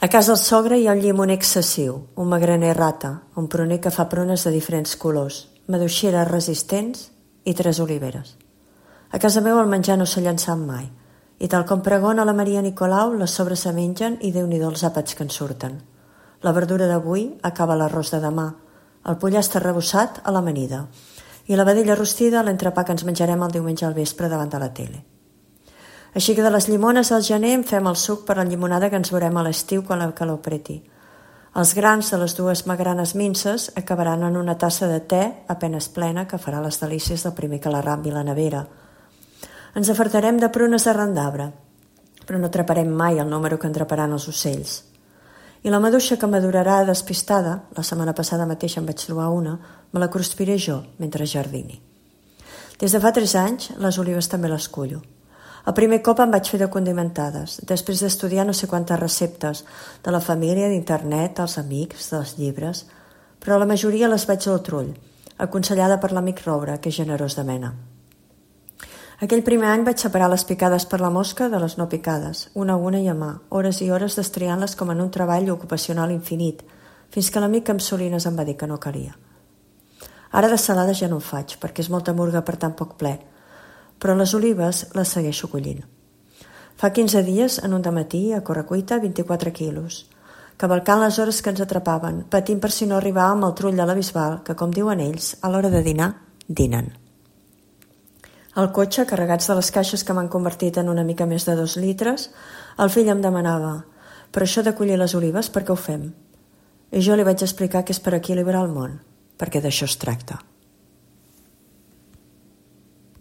A casa del sogre hi ha un llimoner excessiu, un magraner rata, un pruner que fa prunes de diferents colors, maduixeres resistents i 3 oliveres. A casa meva el menjar no s'ha llançat mai, i tal com pregona la Maria Nicolau, les sobres se mengen i Déu-n'hi-do els àpats que en surten. La verdura d'avui acaba l'arròs de demà, el pollastre arrebossat a l'amanida i la vedella rostida a l'entrepà que ens menjarem el diumenge al vespre davant de la tele. Així que de les llimones al gener en fem el suc per la llimonada que ens veurem a l'estiu quan la calor preti. Els grans de les 2 magranes minces acabaran en una tassa de te apenes plena que farà les delícies del primer que la rambi la nevera. Ens afartarem de prunes d'arran d'arbre, però no atraparem mai el número que entraparan els ocells. I la maduixa que madurarà despistada, la setmana passada mateix en vaig trobar una, me la cruspiré jo mentre jardini. Des de fa 3 anys, les olives també les cullo. El primer cop em vaig fer de condimentades, després d'estudiar no sé quantes receptes, de la família, d'internet, dels amics, dels llibres, però la majoria les vaig al trull, aconsellada per l'amic Roure, que és generós de mena. Aquell primer any vaig separar les picades per la mosca de les no picades, una a una i a mà, hores i hores destriant-les com en un treball ocupacional infinit, fins que l'amic amb Solines em va dir que no calia. Ara de salades ja no en faig, perquè és molta murga per tan poc ple, però les olives les segueixo collint. Fa 15 dies, en un dematí, a correcuita, 24 quilos, cavalcant les hores que ens atrapaven, patint per si no arribàvem al trull de la Bisbal, que, com diuen ells, a l'hora de dinar, dinen. Al cotxe, carregats de les caixes que m'han convertit en una mica més de 2 litres, el fill em demanava: «Però això de collir les olives, per què ho fem?» I jo li vaig explicar que és per equilibrar el món, perquè d'això es tracta.